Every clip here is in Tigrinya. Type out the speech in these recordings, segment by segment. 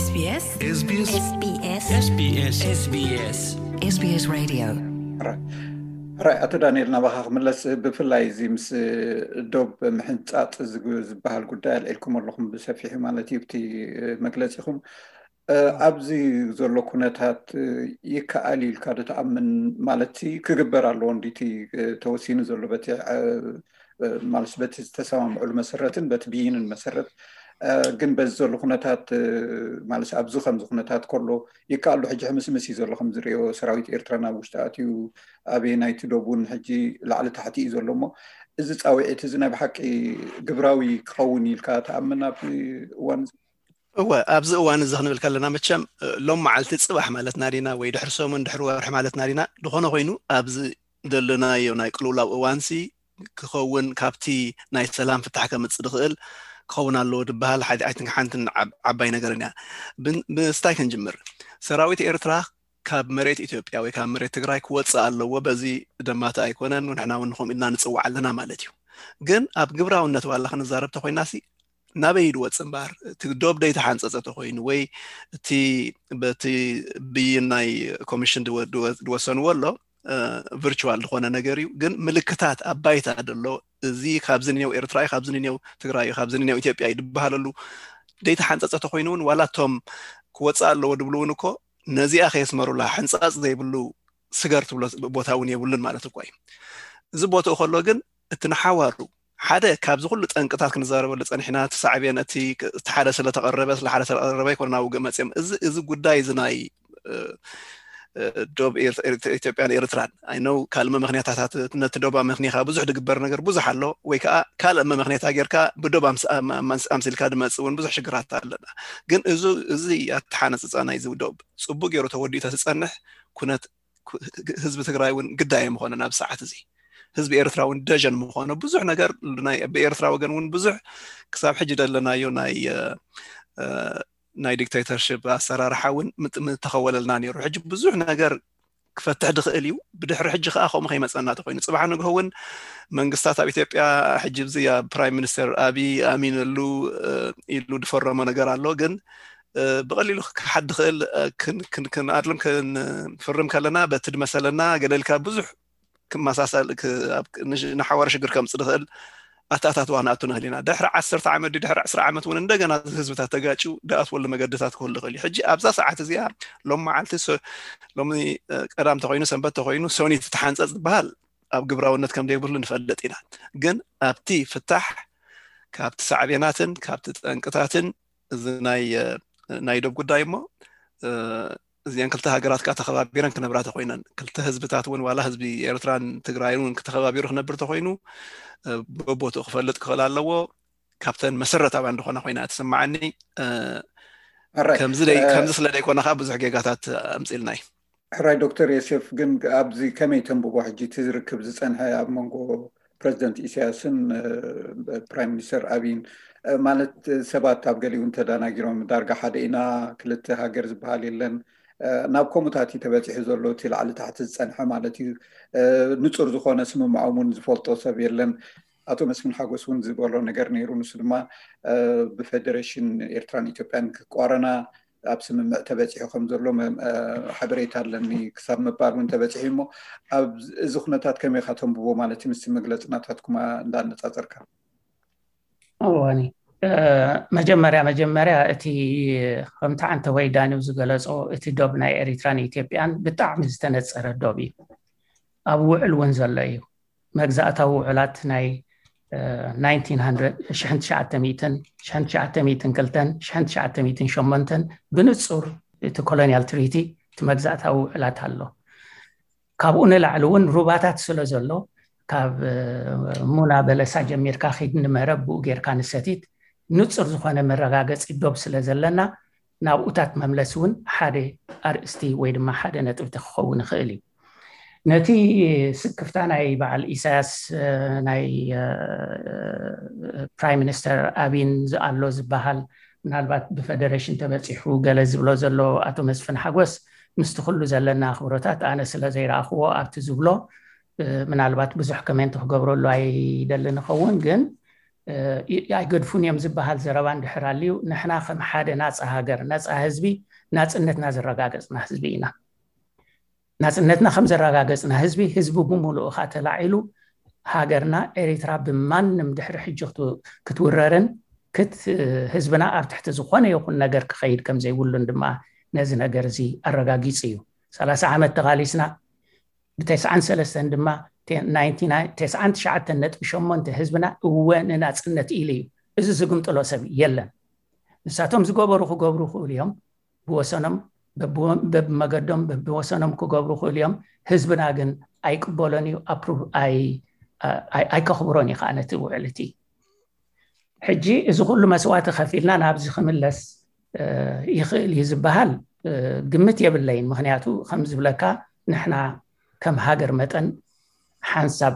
SBS SBS SBS SBS SBS SBS SBS Radio. ሕራይ ኣቶ ዳንኤል፣ ናባኻ ክምለስ። ብፍላይ እዚ ምስ ዶብ ምሕንጻጽ ዝግ- ዝበሃል ጉዳይ ኣልዒልኩም ኣለኹም ብሰፊሑ ማለት እዩ፣ ኣብቲ መግለጺኹም። ኣብዚ ዘሎ ኩነታት ይከኣል ኢልካ ዶ ትኣምን? ማለት ክግበር ኣለዎ እንዲቲ ተወሲኑ ዘሎ በቲ ማለት በቲ ዝተሰማምዕሉ መሰረትን በቲ ብይንን መሰረት፣ ግን በዚ ዘሎ ኩነታት ማለት ኣብዚ ከምዚ ኩነታት ከሎ ይከኣል ዶ? ሕጂ ሕምስምስ እዩ ዘሎ ከም ዝሪኦ፣ ሰራዊት ኤርትራ ናብ ውሽጢ ኣትዩ፣ ኣበየናይቲ ዶብ እውን ሕጂ ላዕሊ ታሕቲ እዩ ዘሎ። እሞ እዚ ፃውዒት እዚ ናይ ብሓቂ ግብራዊ ክኸውን ኢልካ ትኣምን ኣብዚ እዋን እዚ? እወ፣ ኣብዚ እዋን እዚ ክንብል ከለና መቸም ሎም መዓልቲ ጽባሕ ማለትና ዲና ወይ ድሕሪ ሰሙን ድሕሪ ወርሒ ማለትና ዲና፣ ዝኾነ ኮይኑ ኣብዚ ዘለናዮ ናይ ቅልውላው እዋንሲ ክኸውን፣ ካብቲ ናይ ሰላም ፍታሕ ከምጽእ ዝኽእል ክኸውን ኣለዎ ዝበሃል ሓንቲ ሓንትን ዓብ- ዓባይ ነገርን እያ። ብን- ምስታይ ክንጅምር፣ ሰራዊት ኤርትራ ካብ መሬት ኢትዮጵያ ወይ ካብ መሬት ትግራይ ክወፅእ ኣለዎ። በዚ ደማተ ኣይኮነን፣ ንሕና እውን ንኸምኡ ኢልና ንፅዋዕ ኣለና ማለት እዩ። ግን ኣብ ግብራውነት ዋላ ክንዛረብ ተኮይናሲ ናበይ ድወፅ እምበኣር፣ እቲ ዶብ ደይተሓንፀፀ ተኮይኑ ወይ እቲ በቲ ብይን ናይ ኮሚሽን ድወ- ድወ- ድወሰንዎ ኣሎ ቨርቹዋል ዝኾነ ነገር እዩ። ግን ምልክታት ኣብ ባይታ ደሎ፣ እዚ ካብዚ ንኔው ኤርትራ እዩ፣ ካብዚ ንኔው ትግራይ እዩ፣ ካብዚ ንኔው ኢትዮጵያ እዩ ድበሃለሉ ደይተሓንፀፀ ተኮይኑ እውን፣ ዋላ እቶም ክወፅእ ኣለዎ ድብሉ እውን እኮ ነዚኣ ከየስመሩላ ሕንፃፅ ዘይብሉ ስገር ትብሎ ቦታ እውን የብሉን ማለት እኮ እዩ። እዚ ቦትኡ ከሎ ግን እቲ ንሓዋሩ ሓደ ካብዚ ኩሉ ጠንቅታት ክንዛረበሉ ፀኒሕና፣ እቲ ሳዕቤን እቲ እቲ ሓደ ስለተቐረበ ስለ ሓደ ስለተቐረበ ኣይኮነ ናብ ውግእ መፅኦም። እዚ እዚ ጉዳይ እዚ ናይ እ፣ እ፣ ዶብ ኤርት- ኤርት- ኢትዮጵያን ኤርትራን ኣይነው ካልእ መመክንያታት ነቲ ዶብ ኣመክኒኻ ብዙሕ ድግበር ነገር ብዙሕ ኣሎ፣ ወይ ከዓ ካልእ መመክንያታ ጌርካ ብዶብ ኣምስ- ኣም- ኣም- ኣምስ- ኣምሲልካ ድመፅእ እውን ብዙሕ ሽግራት ኣለና። ግን እዚ እዚ ኣተሓነፅፃ ናይዚ ዶብ ፅቡቅ ገይሩ ተወዲኡ ተዝፀንሕ ኩነት ኩ- ህዝቢ ትግራይ እውን ግዳይ ምኾነ ናብ ሰዓት እዚ ህዝቢ ኤርትራ እውን ደጀን ምኾነ ብዙሕ ነገር ናይ ብኤርትራ ወገን እውን ብዙሕ ክሳብ ሕጂ ደለናዮ ናይ እ፣ እ፣ ናይ ዲክቴተርሽፕ ኣሰራርሓ እውን ምት- ምተኸወለልና ነይሩ። ሕጂ ብዙሕ ነገር ክፈትሕ ድኽእል እዩ። ብድሕሪ ሕጂ ከዓ ከምኡ ከይመፀና ተኮይኑ ፅባሕ ንግሆ እውን መንግስታት ኣብ ኢትዮጵያ ሕጂ ብዚ ኣብ ፕራይም ሚኒስተር ኣብይ ኣሚነሉ እ፣ ኢሉ ድፈረሞ ነገር ኣሎ። ግን እ፣ ብቐሊሉ ክሓድ ድኽእል እ፣ ክን- ክን- ክንኣድልም ክንፍርም ከለና በቲ ድመሰለና ገለ ኢልካ ብዙሕ ክመሳሰል ክ- ኣብ- ንሽ- ንሓዋሩ ሽግር ከምፅእ ድኽእል ኣታኣታትዋ ክንኣቱ ንኽእል ኢና። ድሕሪ ዓሰርተ ዓመት ድዩ ድሕሪ ዕስራ ዓመት እውን እንደገና ህዝብታት ተጋጭው ድኣትወሉ መገድታት ክህሉ ይኽእል እዩ። ሕጂ ኣብዛ ሰዓት እዚኣ ሎም መዓልቲ ሰ- ሎሚ እ፣ ቀዳም ተኮይኑ ሰንበት ተኮይኑ ሰኒት ተሓንፀፅ ዝበሃል ኣብ ግብራውነት ከም ዘይብሉ ንፈልጥ ኢና። ግን ኣብቲ ፍታሕ ካብቲ ሳዕቤናትን ካብቲ ጠንቅታትን እዚ ናይ እ፣ ናይ ዶብ ጉዳይ እሞ እ፣ እዚአን ክልተ ሃገራት ከዓ ተኸባቢረን ክነብራ ተኮይነን፣ ክልተ ህዝብታት እውን ዋላ ህዝቢ ኤርትራን ትግራይን እውን ክተኸባቢሩ ክነብር ተኮይኑ እ፣ በቦትኡ ክፈልጥ ክኽእል ኣለዎ። ካብተን መሰረታውያን ዝኾና ኮይና ትስማዓኒ። እ፣ ሕራይ ከምዚ ደይ- እ፣ ከምዚ ስለ ደይኮነ ከዓ ብዙሕ ጌጋታት ኣምፅልና እዩ። ሕራይ ዶክተር ዮሴፍ፣ ግን ኣብዚ ከመይ ተንብቦ? ሕጂ እቲ ዝርክብ ዝፀንሐ ኣብ መንጎ ፕረዚደንት ኢሳያስን እ፣ ፕራይም ሚኒስተር ኣብይን እ፣ ማለት ሰባት ኣብ ገሊኡ እንተዳናጊሮም ዳርጋ ሓደ ኢና፣ ክልተ ሃገር ዝበሃል የለን እ፣ ናብ ከምኡታት እዩ ተበፂሑ ዘሎ። እቲ ላዕሊ ታሕቲ ዝፀንሐ ማለት እዩ። እ፣ ንፁር ዝኾነ ስምምዖም እውን ዝፈልጦ ሰብ የለን። ኣቶ መስፍን ሓጎስ እውን ዝበሎ ነገር ነይሩ። ንሱ ድማ እ፣ ብፌደሬሽን ኤርትራን ኢትዮጵያን ክቋረና ኣብ ስምምዕ ተበፂሑ ከም ዘሎ መ- እ፣ ሓበሬታ ኣለኒ ክሳብ ምባል እውን ተበፂሑ እዩ። እሞ ኣብ እዚ ኩነታት ከመይ ኢኻ ተንብቦ ማለት እዩ? ምስቲ መግለፂ ናታትኩማ እንዳነፃፀርካ። እዋኒ እ፣ መጀመርያ መጀመርያ እቲ ከምቲ ዓንተ ወይ ዳኒው ዝገለጾ እቲ ዶብ ናይ ኤሪትራን ኢትዮጵያን ብጣዕሚ ዝተነጸረ ዶብ እዩ። ኣብ ውዕል እውን ዘሎ እዩ። መግዛእታዊ ውዕላት ናይ እ፣ ናይንቲን ሃንድረድ፣ ሽሕን ትሽዓተ ሚእትን፣ ሽሕን ትሽዓተ ሚእትን ክልተን፣ ሽሕን ትሽዓተ ሚእትን ሸሞንተን ብንጹር እቲ ኮሎኒያል ትሪቲ እቲ መግዛእታዊ ውዕላት ኣሎ። ካብኡ ንላዕሊ እውን ሩባታት ስለ ዘሎ ካብ እ፣ ሙና በለሳ ጀሚርካ ኺድ ንመረብ ብኡ ጌርካ ንሰቲት ንጹር ዝኾነ መረጋገጺ ዶብ ስለ ዘለና ናብኡታት መምለሲ እውን ሓደ ኣርእስቲ ወይ ድማ ሓደ ነጥብቲ ክኸውን ይኽእል እዩ። ነቲ ስክፍታ ናይ በዓል ኢሳያስ እ፣ ናይ እ፣ ፕራይም ሚኒስተር ኣቢን ዝኣሎ ዝበሃል ምናልባት ብፈደሬሽን ተበፂሑ ገለ ዝብሎ ዘሎ ኣቶ መስፍን ሓጎስ ምስቲ ኩሉ ዘለና ኣኽብሮታት ኣነ ስለ ዘይረኣኽዎ ኣብቲ ዝብሎ እ፣ ምናልባት ብዙሕ ኮሜንት ክገብረሉ ኣይደልን ይኸውን ግን ኣይገድፉን እዮም ዝበሃል ዘረባ እንድሕር ኣልዩ፣ ንሕና ከም ሓደ ናፃ ሃገር፣ ነፃ ህዝቢ፣ ናፅነትና ዘረጋገፅና ህዝቢ ኢና። ናፅነትና ከም ዘረጋገፅና ህዝቢ፣ ህዝቢ ብምሉኡ ከዓ ተላዒሉ፣ ሃገርና ኤሪትራ ብማንም ድሕሪ ሕጂ ክትውረርን ክት ህዝብና ኣብ ትሕቲ ዝኾነ ይኹን ነገር ክኸይድ ከም ዘይብሉን ድማ ነዚ ነገር እዚ ኣረጋጊጹ እዩ። ሰላሳ ዓመት ተቓሊስና፣ ብተስዓን ሰለስተን ድማ ተስዓን ትሽዓተን ነጥቢ ሸሞንተ ህዝብና እወ ንናጽነት ኢሉ እዩ። እዚ ዝግምጥሎ ሰብ የለን። ንሳቶም ዝገበሩ ክገብሩ ይኽእሉ እዮም፣ ብወሰኖም በብመገዶም በብወሰኖም ክገብሩ ይኽእሉ እዮም። ህዝብና ግን ኣይቅበሎን እዩ፣ ኣይከኽብሮን እዩ ከዓ ነቲ ውዕል እቲ። ሕጂ እዚ ኩሉ መስዋእቲ ከፊልና ናብዚ ክምለስ ይኽእል እዩ ዝበሃል ግምት የብለይን። ምክንያቱ ከም ዝብለካ ንሕና ከም ሃገር መጠን ሓንሳብ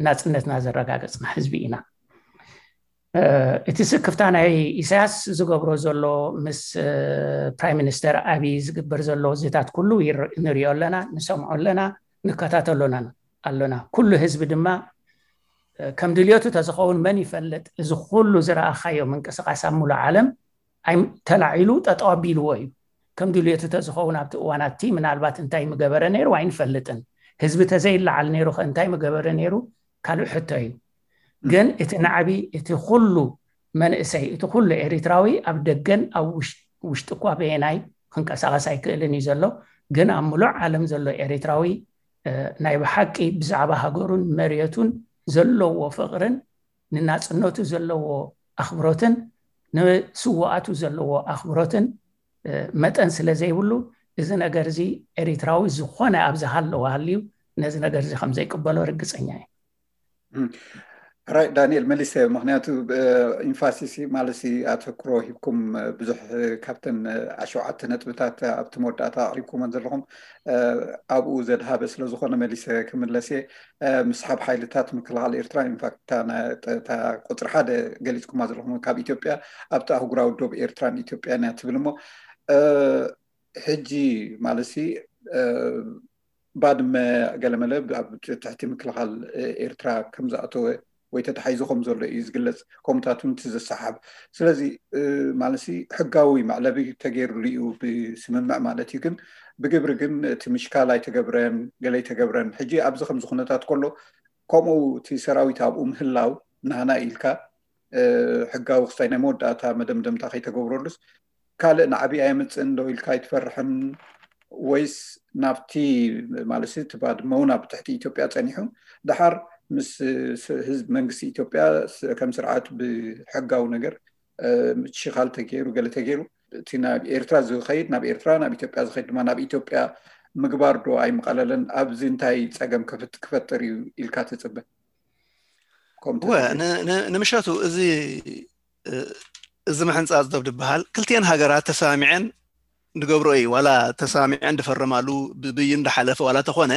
ናፅነትና ዘረጋገፅና ህዝቢ ኢና። እቲ ስክፍታ ናይ ኢሳያስ ዝገብሮ ዘሎ ምስ ፕራይም ሚኒስተር ኣብይ ዝግበር ዘሎ ዝታት ኩሉ ንሪኦ ኣለና፣ ንሰምዖ ኣለና፣ ንከታተሎና ኣሎና። ኩሉ ህዝቢ ድማ ከም ድልዮቱ ተዝኸውን መን ይፈልጥ? እዚ ኩሉ ዝረኣኻዮ ምንቅስቃስ ኣብ ሙሉእ ዓለም ተላዒሉ ጠጠው ኣቢልዎ እዩ። ከም ድልዮቱ ተዝኸውን ኣብቲ እዋናት እቲ ምናልባት እንታይ ምገበረ ነይሩ ኣይንፈልጥን። ህዝቢ ተዘይለዓል ነይሩ ከ እንታይ ምገበረ ነይሩ ካልእ ሕቶ እዩ። ግን እቲ ናዕቢ እቲ ኩሉ መንእሰይ እቲ ኩሉ ኤሪትራዊ ኣብ ደገን ኣብ ውሽጢ እኳ በየናይ ክንቀሳቀስ ኣይክእልን እዩ ዘሎ። ግን ኣብ ሙሉእ ዓለም ዘሎ ኤሪትራዊ ናይ ብሓቂ ብዛዕባ ሃገሩን መሬቱን ዘለዎ ፍቕርን ንናጽነቱ ዘለዎ ኣኽብሮትን ንስውኣቱ ዘለዎ ኣኽብሮትን መጠን ስለ ዘይብሉ እዚ ነገር እዚ ኤሪትራዊ ዝኾነ ኣብዚ ሃለወ ሃልዩ ነዚ ነገር እዚ ከም ዘይቅበሎ ርግጸኛ እየ። ራይ ዳንኤል መሊሰ፣ ምክንያቱ ኢንፋሲሲ ማለት ኣተክሮ ሂብኩም ብዙሕ ካብተን ኣሸውዓተ ነጥብታት ኣብቲ መወዳእታ ኣቅሪብኩመን ዘለኹም ኣብኡ ዘድሃበ ስለዝኾነ መሊሰ ክምለስ እየ። ምስሓብ ሓይልታት ምክልኻል ኤርትራ ኢንፋክት እታ ቁፅሪ ሓደ ገሊፅኩማ ዘለኹም ካብ ኢትዮጵያ ኣብቲ ኣህጉራዊ ዶብ ኤርትራን ኢትዮጵያን እያ ትብል እሞ ሕጂ ማለት ባድመ ገለመለ ኣብ ትሕቲ ምክልኻል ኤርትራ ከም ዝኣተወ ወይ ተታሒዙ ከም ዘሎ እዩ ዝግለጽ። ከምኡታት እውን እቲ ዘሰሓብ ስለዚ ማለት ሕጋዊ መዕለቢ ተገይሩሉ እዩ ብስምምዕ ማለት እዩ። ግን ብግብሪ ግን እቲ ምሽካል ኣይተገብረን ገለ ኣይተገብረን። ሕጂ ኣብዚ ከምዚ ኩነታት ከሎ ከምኡ እቲ ሰራዊት ኣብኡ ምህላው ናህና ኢልካ ሕጋዊ ክስታይ ናይ መወዳእታ መደምደምታ ከይተገብረሉስ ካልእ ናዕቢ ኣየምፅእን ዶ ኢልካ ኣይትፈርሕን? ወይስ ናብቲ ማለት እቲ ባድመ እውን ኣብ ትሕቲ ኢትዮጵያ ፀኒሑ ደሓር ምስ ህዝብ መንግስቲ ኢትዮጵያ ከም ስርዓት ብሕጋዊ ነገር ምሽኻል ተገይሩ ገለ ተገይሩ እቲ ናብ ኤርትራ ዝኸይድ ናብ ኤርትራ ናብ ኢትዮጵያ ዝኸይድ ድማ ናብ ኢትዮጵያ ምግባር ዶ ኣይምቐለለን? ኣብዚ እንታይ ፀገም ክፈጥር እዩ ኢልካ ትፅበ? ንምሸቱ እዚ እዚ ምሕንፃፅ ዶብ ዝበሃል ክልቲኤን ሃገራት ተሰማሚዐን ዝገብሮ እዩ። ዋላ ተሰማሚዐን ዝፈረማሉ ብብይን ዝሓለፈ ዋላ ተኾነ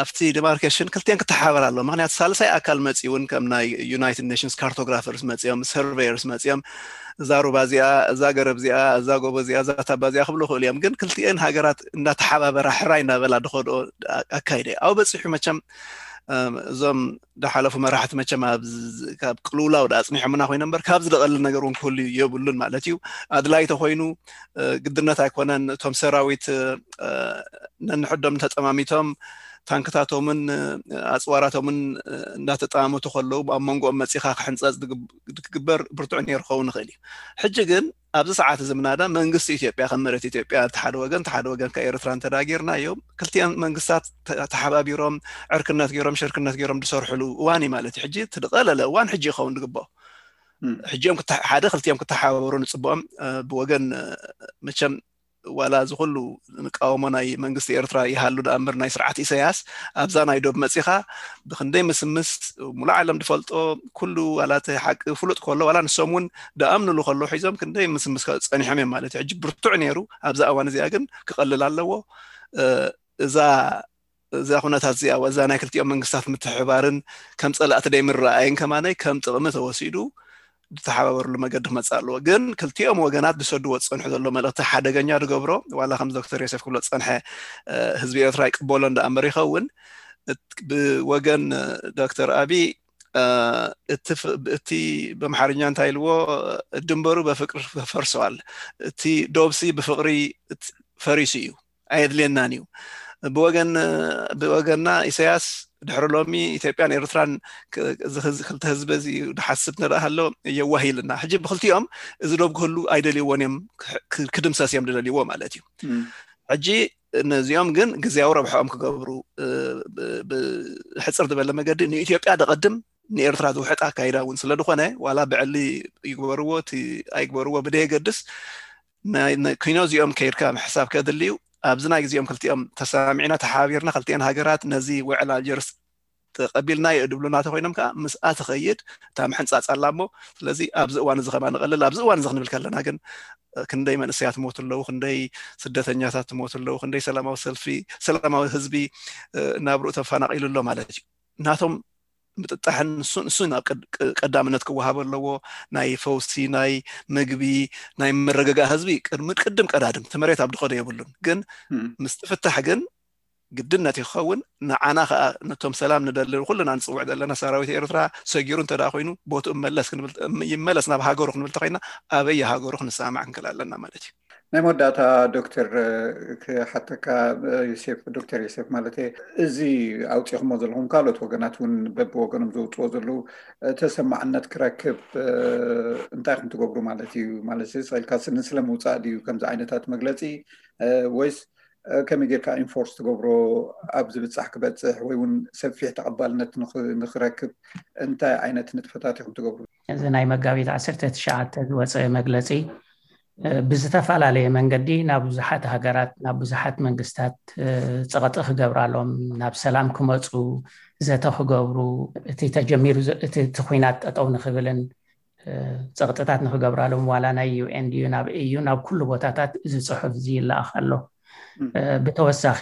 ኣብቲ ዲማርኬሽን ክልቲኤን ክተሓባበር ኣሎ። ምክንያቱ ሳልሳይ ኣካል መፂ እውን ከም ናይ ዩናይትድ ኔሽንስ ካርቶግራፈርስ መፂኦም፣ ሰርቬየርስ መፂኦም እዛ ሩባ እዚኣ፣ እዛ ገረብ እዚኣ፣ እዛ ጎቦ እዚኣ፣ እዛ ታባ እዚኣ ክብሉ ይኽእሉ እዮም። ግን ክልቲኤን ሃገራት እንዳተሓባበራ ሕራይ እንዳበላ ዝኸድኦ ኣካይደ ኣብኡ በፂሑ መቸም እዞም ዝሓለፉ መራሕቲ መቸም ካብ ቅልውላው ኣፅኒሖምና ኮይኖም እምበር ካብዚ ዝቐልል ነገር እውን ክህሉ የብሉን ማለት እዩ። ኣድላይ ተኮይኑ ግድነት ኣይኮነን እቶም ሰራዊት ነንሕዶም ተጠማሚቶም ታንክታቶምን ኣፅዋራቶምን እንዳተጠማመቱ ከለዉ ኣብ መንጎኦም መፂኻ ክሕንፀፅ ክግበር ብርቱዕ ነይሩ ክኸውን ይኽእል እዩ። ሕጂ ግን ኣብዚ ሰዓት እዚ ምናዳ መንግስቲ ኢትዮጵያ ከም መሬት ኢትዮጵያ እቲ ሓደ ወገን እቲ ሓደ ወገን ከ ኤርትራ እንተዳጊርናዮም ክልቲኤን መንግስታት ተሓባቢሮም ዕርክነት ገይሮም ሽርክነት ገይሮም ዝሰርሕሉ እዋን እዩ ማለት እዩ። ሕጂ እቲ ዝቐለለ እዋን ሕጂ ይኸውን ዝግብኦ። ሕጂኦም ሓደ ክልቲኦም ክተሓባበሩ ንፅብኦም ብወገን መቸም ዋላ እዚ ኩሉ ንቃወሞ ናይ መንግስቲ ኤርትራ ይሃሉ ደኣ እምበር ናይ ስርዓት ኢሳያስ ኣብዛ ናይ ዶብ መፂኻ ብክንደይ ምስምስ ሙሉእ ዓለም ዝፈልጦ ኩሉ ዋላ እቲ ሓቂ ፍሉጥ ከሎ ዋላ ንሶም እውን ደኣምንሉ ከሎ ሒዞም ክንደይ ምስምስ ጸኒሖም እዮም ማለት እዩ። ሕጂ ብርቱዕ ነይሩ። ኣብዛ እዋን እዚኣ ግን ክቐልል ኣለዎ። እዛ እዛ ኩነታት እዚኣ እዛ ናይ ክልቲኦም መንግስታት ምትሕባርን ከም ጸላእቲ ደይምረኣይን ከማነይ ከም ጥቕሚ ተወሲዱ ዝተሓባበርሉ መገዲ ክመፅእ ኣለዎ። ግን ክልቲኦም ወገናት ዝሰድዎ ዝፀንሑ ዘሎ መልእክቲ ሓደገኛ ዝገብሮ ዋላ ከም ዶክተር ዮሴፍ ክብሎ ዝፀንሐ ህዝቢ ኤርትራ ይቅበሎ እንዳኣምበር ይኸውን። ብወገን ዶክተር ኣቢ እቲ በምሓርኛ እንታይ ኢልዎ፣ ድንበሩ በፍቅር ፈርሰዋል፣ እቲ ዶብሲ ብፍቅሪ ፈሪሱ እዩ፣ ኣየድልየናን እዩ። ብወገንና ኢሳያስ ድሕሪ ሎሚ ኢትዮጵያን ኤርትራን ክልተ ህዝቢ እዚ ድሓስብ ንረኣ ኣሎ የዋህ ኢልና። ሕጂ ብክልቲኦም እዚ ዶብ ክህሉ ኣይደልይዎን እዮም፣ ክድምሰስ እዮም ዝደልይዎ ማለት እዩ። ሕጂ ነዚኦም ግን ግዜያዊ ረብሐኦም ክገብሩ፣ ብሕፅር ዝበለ መገዲ ንኢትዮጵያ ደቐድም፣ ንኤርትራ ዝውሕጥ ኣካይዳ እውን ስለ ዝኾነ፣ ዋላ ብዕሊ ይግበርዎ እቲ ኣይግበርዎ ብደየገድስ፣ ኪኖ እዚኦም ከይድካ ምሕሳብ ከድልዩ፣ ኣብዚ ናይ ግዜኦም ክልቲኦም ተሰማሚዕና ተሓባቢርና ክልቲኤን ሃገራት ነዚ ውዕል ኣልጀርስ ተቐቢልና የድብሉና ተኮይኖም ከዓ ምስኣ ትኸይድ እታ ምሕንፃፅ ኣላ እሞ፣ ስለዚ ኣብዚ እዋን እዚ ከማ ንቐልል፣ ኣብዚ እዋን እዚ ክንብል ከለና ግን ክንደይ መንእሰያት ትሞቱ ኣለዉ፣ ክንደይ ስደተኛታት ትሞቱ ኣለዉ፣ ክንደይ ሰላማዊ ሰልፊ ሰላማዊ ህዝቢ ናብርኡ ተፈናቒሉ ኣሎ ማለት እዩ። ናቶም ምጥጣሕን እሱን እሱን ኣብ ቀዳምነት ክወሃበ ኣለዎ። ናይ ፈውሲ፣ ናይ ምግቢ፣ ናይ ምርግጋእ ህዝቢ ቅድሚ ቅድም ቀዳድም እቲ መሬት ኣብ ድኸዶ የብሉን። ግን ምስ ትፍታሕ ግን ግድነት እዩ ክኸውን። ንዓና ከዓ ነቶም ሰላም ንደሊ ኩልና ንፅውዕ ዘለና ሰራዊት ኤርትራ ሰጊሩ እንተ ኮይኑ ቦትኡ መለስ ይመለስ ናብ ሃገሩ ክንብል ተኮይና ኣበይ ሃገሩ ክንሰማማዕ ክንክእል ኣለና ማለት እዩ። ናይ መወዳእታ ዶክተር ክሓተካ ዮሴፍ፣ ዶክተር ዮሴፍ ማለት እዚ ኣውፂኹሞ ዘለኹም ካልኦት ወገናት እውን በብወገኖም ዘውፅዎ ዘለዉ ተሰማዕነት ክረክብ እንታይ ኢኹም ትገብሩ ማለት እዩ? ማለት ስኢልካ ስኒ ስለ ምውፃእ ድዩ ከምዚ ዓይነታት መግለፂ ወይስ ከመይ ጌርካ ኢንፎርስ ትገብሮ ኣብ ዝብፃሕ ክበፅሕ ወይ እውን ሰፊሕ ተቐባልነት ንኽረክብ እንታይ ዓይነት ንጥፈታት ኢኹም ትገብሩ? እዚ ናይ መጋቢት ዓሰርተ ትሽዓተ ዝወፀ መግለፂ ብዝተፈላለየ መንገዲ ናብ ብዙሓት ሃገራት ናብ ብዙሓት መንግስታት ፀቕጢ ክገብራሎም ናብ ሰላም ክመፁ ዘተ ክገብሩ እቲ ተጀሚሩ እቲ ኩናት ጠጠው ንክብልን ፀቕጥታት ንክገብራሎም ዋላ ናይ ዩኤን ድዩ ናብ እዩ ናብ ኩሉ ቦታታት እዚ ፅሑፍ እዚ ይለኣኽ ኣሎ። ብተወሳኺ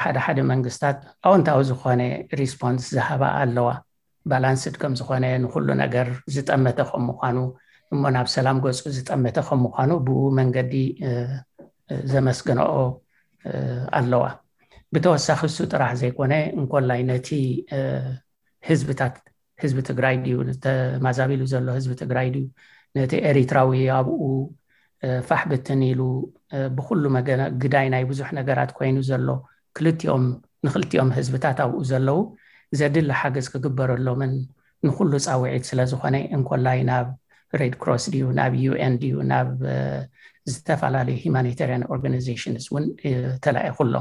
ሓደ ሓደ መንግስታት ኣወንታዊ ዝኾነ ሪስፖንስ ዝሃባ ኣለዋ። ባላንስድ ከም ዝኾነ ንኩሉ ነገር ዝጠመተ ከም ምዃኑ እሞ ናብ ሰላም ገፁ ዝጠመተ ከም ምዃኑ ብኡ መንገዲ ዘመስገንኦ ኣለዋ። ብተወሳኺ እሱ ጥራሕ ዘይኮነ እንኮላይ ነቲ ህዝብታት ህዝቢ ትግራይ ድዩ ተማዛቢሉ ዘሎ ህዝቢ ትግራይ ድዩ ነቲ ኤሪትራዊ ኣብኡ ፋሕ ብትን ኢሉ ብኩሉ መገ ግዳይ ናይ ብዙሕ ነገራት ኮይኑ ዘሎ ክልቲኦም ንክልቲኦም ህዝብታት ኣብኡ ዘለዉ ዘድሊ ሓገዝ ክግበረሎምን ንኩሉ ፃውዒት ስለ ዝኾነ እንኮላይ ናብ ሬድ ክሮስ ድዩ ናብ ዩኤን ድዩ ናብ ዝተፈላለዩ ሂማኒታሪያን ኦርጋናይዜሽንስ እውን ተላኢኹ ኣሎ።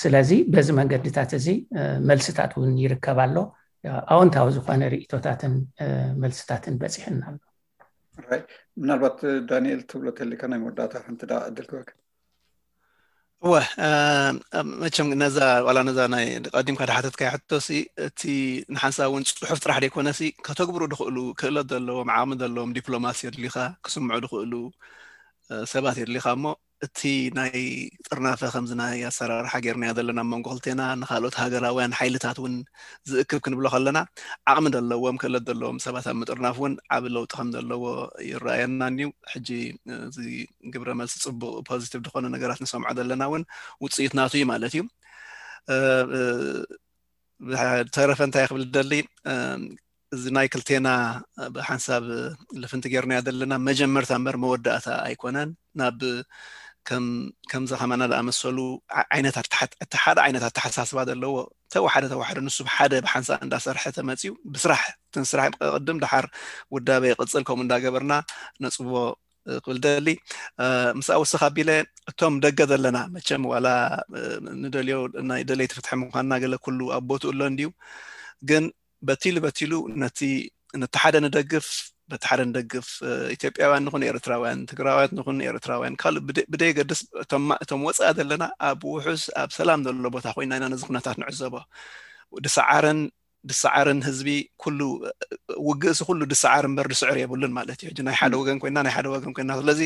ስለዚ በዚ መንገድታት እዚ መልስታት እውን ይርከብ ኣሎ። ኣወንታዊ ዝኾነ ርእቶታትን መልስታትን በፂሕና ኣሎ። ምናልባት ዳንኤል ትብሎ ተሊካ ናይ መወዳእታ ሓንቲ ዳ ዕድል ክበክ እወ መቸም ነዛ ዋላ ነዛ ናይ ቀዲምካ ድሓተትካ ሕቶሲ እቲ ንሓንሳ እውን ፅሑፍ ጥራሕ ደይኮነሲ ከተግብሩ ድኽእሉ ክእለት ዘለዎም ዓቕሚ ዘለዎም ዲፕሎማሲ የድልኻ ክስምዑ ድኽእሉ ሰባት የድልኻ እሞ እቲ ናይ ጥርናፈ ከምዚ ናይ ኣሰራርሓ ጌርናዮ ዘለና ኣብ መንጎ ክልቴና ንካልኦት ሃገራውያን ሓይልታት እውን ዝእክብ ክንብሎ ከለና ዓቕሚ ዘለዎም ክእለት ዘለዎም ሰባት ኣብ ምጥርናፍ እውን ዓብ ለውጢ ከም ዘለዎ ይረኣየና እዩ። ሕጂ እዚ ግብረ መልሲ ፅቡቅ ፖዚቲቭ ዝኾነ ነገራት ንሰምዖ ዘለና እውን ውፅኢት ናቱ እዩ ማለት እዩ። ተረፈ እንታይ ክብል ደሊ እዚ ናይ ክልቴና ብሓንሳብ ልፍንቲ ጌርናዮ ዘለና መጀመርታ እምበር መወዳእታ ኣይኮነን። ናብ ከምዚ ከማና ዝኣመሰሉ ዓይነታት ሓደ ዓይነት ኣተሓሳስባ ዘለዎ ተወሓደ ተወሓደ ንሱ ሓደ ብሓንሳ እንዳሰርሐ ተመፅዩ ብስራሕ ትንስራሕ ቅድም ድሓር ውዳበ ይቅፅል ከምኡ እንዳገበርና ነፅቦ ክብል ደሊ ምስ ኣወስኽ ኣቢለ እቶም ደገ ዘለና መቸም ዋላ ንደልዮ ናይ ደለይቲ ፍትሒ ምኳንና ገለ ኩሉ ኣብ ቦትኡ ኣሎ እንድዩ ግን በቲሉ በቲሉ ነቲ ነቲ ሓደ ንደግፍ በቲ ሓደ ንደግፍ ኢትዮጵያውያን ንኹን ኤርትራውያን ትግራውያን ንኹን ኤርትራውያን ካልእ ብደየገድስ እቶም ወፃኢ ዘለና ኣብ ውሑስ ኣብ ሰላም ዘሎ ቦታ ኮይና ኢና ነዚ ኩነታት ንዕዘቦ ድሰዓርን ድሰዓርን ህዝቢ ኩሉ ውግእሲ ኩሉ ድሰዓር እምበር ድስዕር የብሉን ማለት እዩ። ናይ ሓደ ወገን ኮይና ናይ ሓደ ወገን ኮይና ስለዚ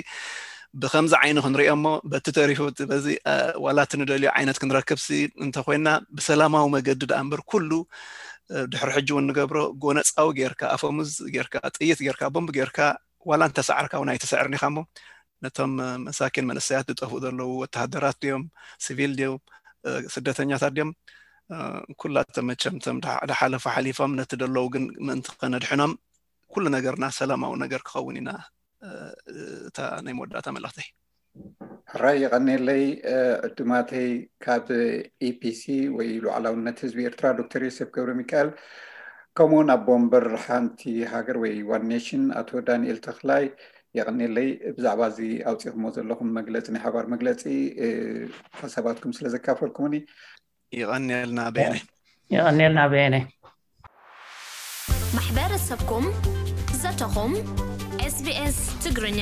ብከምዚ ዓይኒ ክንሪኦ እሞ በቲ ተሪፉ በዚ ዋላ እቲ ንደልዮ ዓይነት ክንረክብ ሲ እንተኮይና ብሰላማዊ መገዲ ደኣ እምበር ኩሉ ድሕሪ ሕጂ እውን ንገብሮ ጎነፃዊ ጌርካ ኣፈሙዝ ጌርካ ጥይት ጌርካ ቦምብ ጌርካ ዋላ እንተሰዓርካ እውን ኣይትስዕርን ኢኻ እሞ ነቶም መሳኪን መንእሰያት ዝጠፍኡ ዘለዉ ወተሃደራት ድዮም ሲቪል ድዮም ስደተኛታት ድዮም ኩላተ መቸምተም ዝሓለፉ ሓሊፎም ነቲ ደለዉ ግን ምእንቲ ከነድሕኖም ኩሉ ነገርና ሰላማዊ ነገር ክኸውን ኢና። እታ ናይ መወዳእታ መልእኽተይ። ሕራይ የቐኔለይ። ዕዱማተይ ካብ ኢፒሲ ወይ ሉዓላውነት ህዝቢ ኤርትራ ዶክተር ዮሴፍ ገብረ ሚካኤል፣ ከምኡውን ኣቦ ወንበር ሓንቲ ሃገር ወይ ዋን ኔሽን ኣቶ ዳንኤል ተኽላይ፣ የቐኔለይ ብዛዕባ እዚ ኣውፂኹሞ ዘለኹም መግለፂ፣ ናይ ሓባር መግለፂ ሓሳባትኩም ስለ ዘካፈልኩምኒ። ይቐኔልና በየነ። ይቐኔልና በየነ። ማሕበረሰብኩም ዘተኹም። ኤስቢኤስ ትግርኛ።